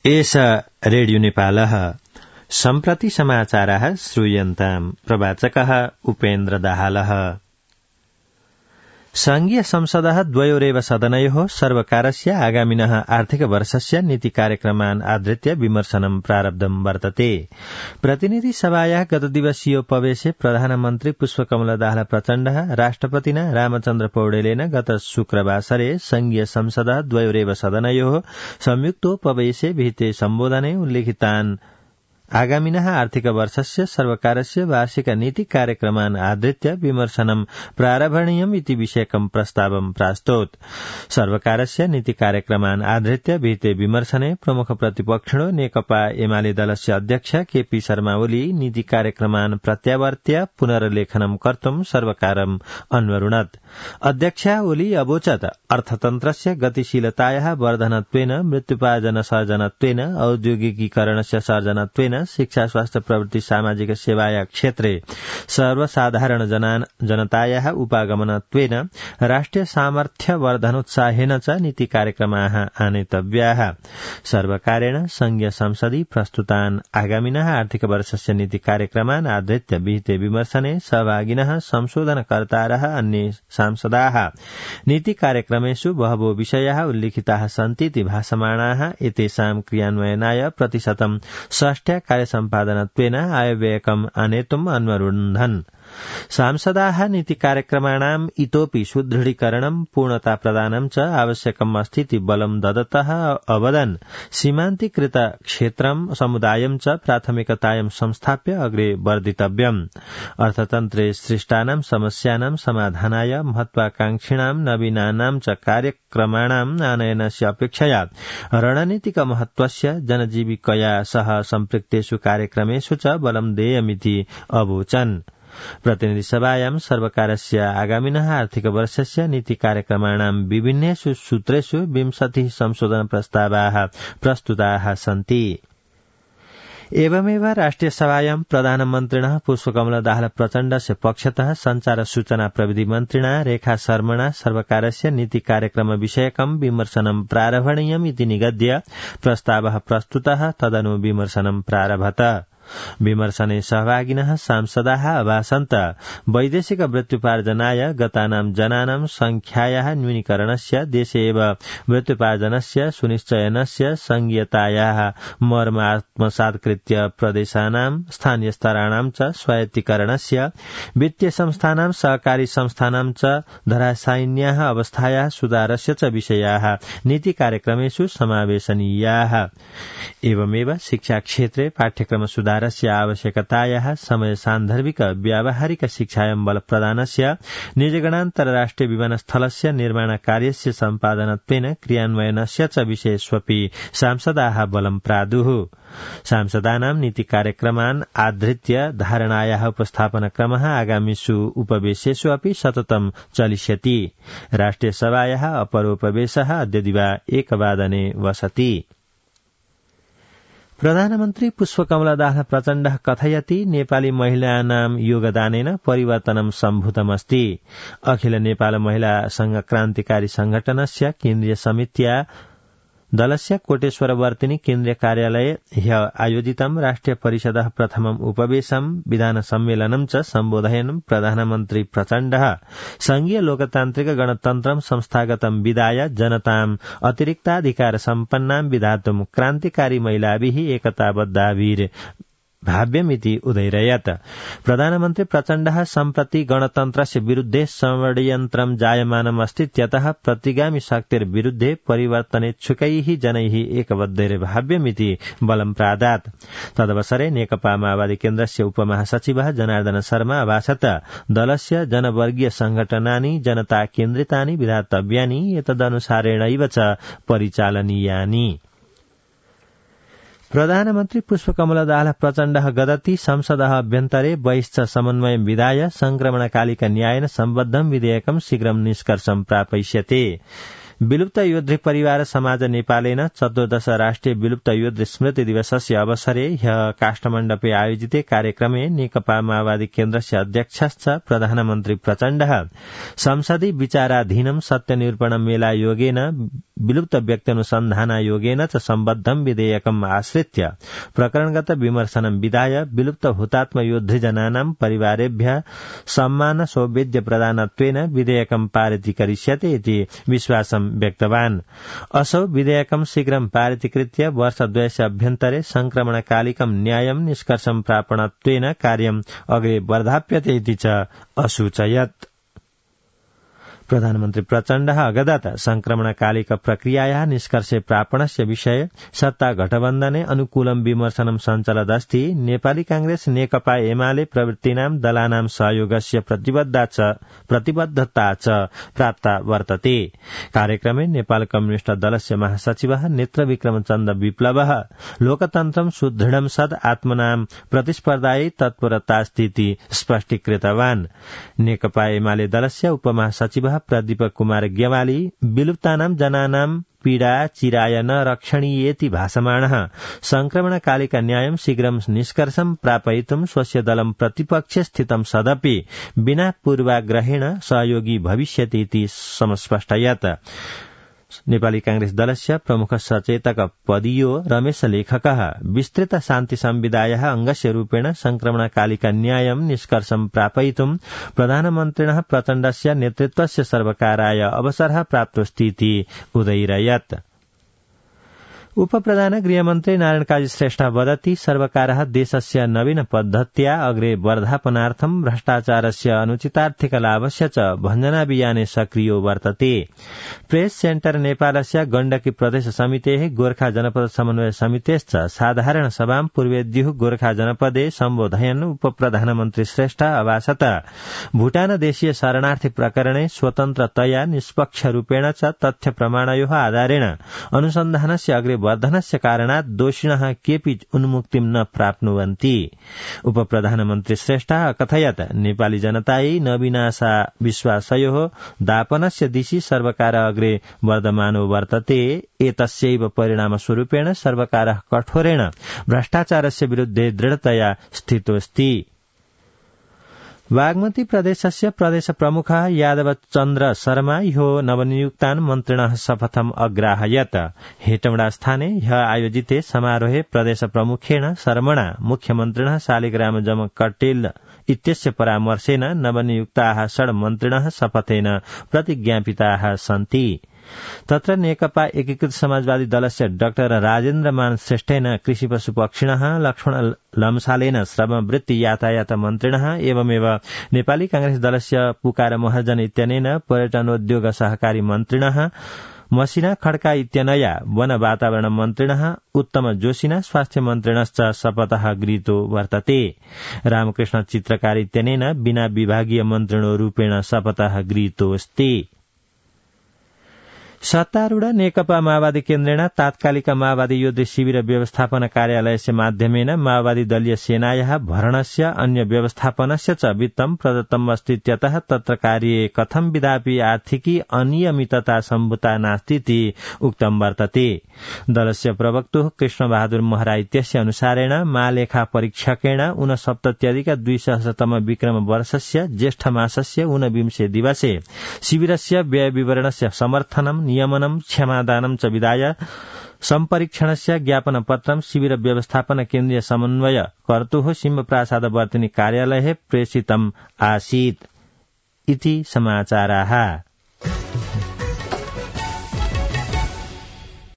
एष रेडियो नेपालः सम्प्रति समाचारः श्रूयन्ताम् प्रवाचकः उपेन्द्र दाहालः। संघीय संसदः द्वयोरेव सदनयोः सर्वकारस्य आगामिनः आर्थिक वर्षस्य नीति कार्यक्रमान् आधृत्य विमर्शनं प्रारब्धं वर्तते। प्रतिनिधि सभायाः गतदिवसीयोपवेशे प्रधानमन्त्री पुष्पकमल दाहाल प्रचण्डः राष्ट्रपतिना रामचन्द्र पौडेलेन गत शुक्रवासरे संघीय संसदः द्वयोरेव सदनयोः संयुक्तोपवेशे विहिते सम्बोधने उल्लिखितान् आगामिनः आर्थिक वर्षस्य सर्वकारस्य वार्षिक नीति कार्यक्रमान् आधृत्य विमर्शनं प्रारभणीयम् इति विषयकं प्रस्तावं प्रास्तोत्। सर्वकारस्य नीति कार्यक्रमान् आधृत्य विहिते विमर्शने प्रमुख प्रतिपक्षिणो नेकपा एमाले दलस्य अध्यक्ष केपी शर्मा ओली नीति कार्यक्रमान् प्रत्यावर्त्य पुनर्लेखनं कर्तुं सर्वकारम् अन्वरुणत्। अध्यक्ष ओली अवोचत् अर्थतन्त्रस्य गतिशीलतायाः वर्धनत्वेन मृत्युपार्जन सर्जनत्वेन औद्योगिकीकरणस्य सर्जनत्वेन शिक्षा स्वास्थ्य प्रवृत्ति सामाजिक सेवाया क्षेत्रे सर्वसाधारण जनतायाः उपागमनत्वेन राष्ट्रिय सामर्थ्य वर्धनोत्साहेन च नीति कार्यक्रमाः आनेतव्याः। सर्वकारेण संघीय संसदि प्रस्तुतान् आगामिनः आर्थिक वर्षस्य नीति कार्यक्रमान् आधृत्य विहिते विमर्शने सहभागिनः संशोधनकर्तारः अन्ये सांसदाः नीति कार्यक्रमेषु बहवो विषयाः उल्लिखिताः सन्तीति भासमाणाः। एतेषां क्रियान्वयनाय प्रतिशतं 60 कार्यसम्पादनत्वेन आयव्ययकम् आनेतुम् अन्वरुन्धन्। सांसदाः नीति कार्यक्रमाणाम् इतोपि सुदृढीकरणं पूर्णता प्रदानं च आवश्यकम् अस्तीति बलं ददतः अवदन्। सीमान्तीकृत क्षेत्रं समुदायं च प्राथमिकतायां संस्थाप्य अग्रे वर्धितव्यम्। अर्थतन्त्रे सृष्टानां समस्यानां समाधानाय महत्वाकांक्षिणां नवीनानां च कार्यक्रमाणाम् आनयनस्य अपेक्षया रणनीतिक महत्वस्य जनजीविकया सह सम्पृक्तेषु कार्यक्रमेषु च बलं देयमिति अवोचन्। प्रतिनिधि सभायां सर्वकारस्य आगामिनः आर्थिक वर्षस्य नीति कार्यक्रमाणां विभिन्नेषु सूत्रेषु 20 संशोधन प्रस्तावाः प्रस्तुताः सन्ति। एवमेव राष्ट्रिय सभायां प्रधानमन्त्रिणः पुष्पकमल दाहाल प्रचण्डस्य पक्षतः संचार सूचना प्रविधि मन्त्रिणा रेखा शर्मणा सर्वकारस्य नीति कार्यक्रम विषयकं विमर्शनं प्रारभणीयम् इति निगद्य प्रस्तावः प्रस्तुतः। तदनु विमर्शनं प्रारभत। विमर्शने सहभागिनः सांसदाः अभासन्त वैदेशिक मृत्युपार्जनाय गतानां जनानां संख्यायाः न्यूनीकरणस्य देशे एव मृत्युपार्जनस्य सुनिश्चयनस्य संघीयतायाः मर्म आत्मसात्कृत्य प्रदेशानां स्थानीय स्तराणां च स्वायत्तीकरणस्य वित्तीय संस्थानां सहकारी संस्थानां च धराशायिन्याः अवस्थायाः सुधारस्य च विषयाः नीति कार्यक्रमेषु समावेशनीयाः। एवमेव शिक्षा क्षेत्रे पाठ्यक्रम सुधारस्य आवश्यकतायाः समय सान्दर्भिक व्यावहारिक शिक्षायां बल प्रदानस्य निजगणान्तरराष्ट्रिय विमानस्थलस्य निर्माण कार्यस्य सम्पादनत्वेन क्रियान्वयनस्य च विषयेष्वपि सांसदाः बलं प्रादुः। सांसदानां नीति कार्यक्रमान् आधृत्य धारणायाः उपस्थापनक्रमः आगामिषु उपवेशेषु अपि सततं चलिष्यति। राष्ट्रिय सभायाः अपरोपवेशः अद्य दिवा 1 वादने वसति। प्रधानमन्त्री पुष्पकमल दाहाल प्रचण्डः कथयति नेपाली महिलानां योगदानेन परिवर्तनं सम्भूतमस्ति। अखिल नेपाल महिला संघ क्रान्तिकारी संगठनस्य केन्द्रीय समित्या दलस्य कोटेश्वरवर्तिनी केन्द्रीय कार्यालये ह्य आयोजितं राष्ट्रिय परिषदः प्रथमम् उपवेशं विधान सम्मेलनं च सम्बोधयन् प्रधानमन्त्री प्रचण्डः संघीय लोकतान्त्रिक गणतन्त्रं संस्थागतं विधाय जनताम् अतिरिक्ताधिकार सम्पन्नां विधातुं क्रान्तिकारी महिलाभिः एकताबद्धाभिर् भाव्यमिति उदयरयत्। प्रधानमन्त्री प्रचण्डः सम्प्रति गणतन्त्रस्य विरुद्धे षड्यन्त्रं जायमानम् अस्तीत्यतः प्रतिगामी शक्तिर्विरुद्धे परिवर्तनेच्छुकैः जनैः एकबद्धैर्भाव्यमिति बलं प्रादात्। तदवसरे नेकपा माओवादी केन्द्रस्य उपमहासचिवः जनार्दन शर्मा अभाषत दलस्य जनवर्गीय संघटनानि जनता केन्द्रितानि विधातव्यानि एतदनुसारेणैव च परिचालनीयानि। प्रधानमन्त्री पुष्पकमल दाहाल प्रचण्डः गदति संसदः अभ्यन्तरे बहिश्च समन्वयं विधाय संक्रमणकालिक न्यायेन सम्बद्धं विधेयकं शीघ्रं निष्कर्षं प्रापयिष्यते। विलुप्त योद्धृ परिवार समाज नेपालेन 14 राष्ट्रिय विलुप्त योद्धृ स्मृति दिवसस्य अवसरे ह्यः काष्ठमण्डपे आयोजिते कार्यक्रमे नेकपा माओवादी केन्द्रस्य अध्यक्षश्च प्रधानमन्त्री प्रचण्डः संसदि विचाराधीनं सत्यनिरूपण मेला योगेन विलुप्त व्यक्त्यनुसन्धानायोगेन च सम्बद्धं विधेयकम् आश्रित्य प्रकरणगत विमर्शनं विधाय विलुप्त हुतात्म योद्धृजनानां परिवारेभ्यः सम्मान सौविध्य प्रदानत्वेन विधेयकं पारितीकरिष्यते इति विश्वासं व्यक्तवान्। असौ विधेयकं शीघ्रं पारितीकृत्य वर्षद्वयस्य अभ्यन्तरे संक्रमणकालिकं न्यायं निष्कर्षं प्रापणत्वेन कार्यम् अग्रे वर्धाप्यते इति च असूचयत्। प्रधानमन्त्री प्रचण्डः अगदत संक्रमणकालिक प्रक्रियायाः निष्कर्षे प्रापणस्य विषये सत्ता गठबन्धने अनुकूलं विमर्शनं सञ्चलदस्ति नेपाली कांग्रेस नेकपा एमाले प्रवृत्तीनां दलानां सहयोगस्य प्रतिबद्धता च प्राप्ता वर्तते। कार्यक्रमे नेपाल कम्युनिष्ट दलस्य महासचिवः नेत्रविक्रम चन्द विप्लवः लोकतन्त्रं सुदृढं सद् आत्मनां प्रतिस्पर्धायै तत्परतास्ति स्पष्टीकृतवान्। नेकपा एमाले दलस्य उपमहासचिवः प्रदीप कुमार गेवाली विलुप्तानां जनानां पीडा चिराय न रक्षणीयेति भाषमाणः संक्रमणकालिक न्यायं शीघ्रं निष्कर्षं प्रापयितुं स्वस्य दलं प्रतिपक्षे स्थितं सदपि विना पूर्वाग्रहेण सहयोगी भविष्यति इति समस्पष्टयत्। नेपाली कांग्रेस दलस्य प्रमुख सचेतक पदीयो रमेश लेखकः विस्तृत शान्ति संविधायाः अंगस्य रूपेण संक्रमणकालिक न्यायं निष्कर्षं प्रापयितुं प्रधानमन्त्रिणः प्रचण्डस्य नेतृत्वस्य सर्वकाराय अवसरः प्राप्तोऽस्ति इति उदयिरयत्। उपप्रधान गृहमन्त्री नारायण काजी श्रेष्ठ वदति सर्वकारः देशस्य नवीन पद्धत्या अग्रे वर्धापनार्थं भ्रष्टाचारस्य अनुचितार्थिक लाभस्य च भञ्जनाभियाने सक्रियो वर्तते। प्रेस सेन्टर नेपालस्य गण्डकी प्रदेश समितेः गोर्खा जनपद समन्वय समितेश्च साधारण सभां पूर्वेद्युः गोर्खा जनपदे सम्बोधयन् उपप्रधानमन्त्री श्रेष्ठ अभासत भूटान देशीय शरणार्थी प्रकरणे स्वतन्त्रतया निष्पक्ष रूपेण च तथ्य प्रमाणयोः आधारेण अनुसन्धानस्य अग्रे वर्धनस्य कारणात् दोषिणः केऽपि उन्मुक्तिं न प्राप्नुवन्ति। उपप्रधानमन्त्री श्रेष्ठः अकथयत् नेपाली जनतायै नवीनाशा विश्वासयोः दापनस्य दिशि सर्वकारः अग्रे वर्धमानो वर्तते। एतस्यैव परिणामस्वरूपेण सर्वकारः कठोरेण भ्रष्टाचारस्य विरुद्धे दृढतया स्थितोऽस्ति। बागमती प्रदेशस्य प्रदेश प्रमुखः यादव चन्द्र शर्मा ह्यो नवनियुक्तान् मन्त्रिणः शपथम् अग्राहयत्। हेटौडा स्थाने ह्य आयोजिते समारोहे प्रदेश प्रमुखेण शर्मणा मुख्यमन्त्रिणः शालिग्राम जमकटेल इत्यस्य परामर्शेन नवनियुक्ताः षड् मन्त्रिणः शपथेन प्रतिज्ञापिताः सन्ति। तत्र नेकपा एकीकृत समाजवादी दलस्य डाक्टर राजेन्द्र मान श्रेष्ठेन कृषि पशु पक्षिणः लक्ष्मण लम्सालेन श्रमवृत्ति यातायात मन्त्रिणः एवमेव नेपाली कांग्रेस दलस्य पुकार महर्जन इत्यनेन पर्यटनोद्योग सहकारी मन्त्रिणः मसिना खड्का इत्यनया वन वातावरण मन्त्रिणः उत्तम जोशिना स्वास्थ्य मन्त्रिणश्च शपथः गृहीतो वर्तते। रामकृष्ण चित्रकार इत्यनेन बिना विभागीय मन्त्रिणो रूपेण शपथः गृहीतोऽस्ति। सत्तारूढ नेकपा माओवादी केन्द्रेण तात्कालिक माओवादी योद्धृ शिविर व्यवस्थापन कार्यालयस्य माध्यमेन माओवादी दलीय सेनायाः भरणस्य अन्य व्यवस्थापनस्य च वित्तं प्रदत्तम् अस्तीत्यतः तत्र कार्ये कथं विधापि आर्थिकी अनियमितता सम्भूता नास्तीति उक्तं वर्तते। दलस्य प्रवक्तुः कृष्णबहादुर महरा इत्यस्य अनुसारेण महालेखा परीक्षकेण 69+200तम विक्रम वर्षस्य ज्येष्ठ मासस्य 29 दिवसे शिविरस्य व्यय विवरणस्य समर्थनं नियमनं क्षमादानं च विधाय सम्परीक्षणस्य ज्ञापनपत्रं शिविर व्यवस्थापन केन्द्रीय समन्वय कर्तुः सिंहप्रसाद वर्तिनी कार्यालये प्रेषितम् आसीत् इति समाचाराः।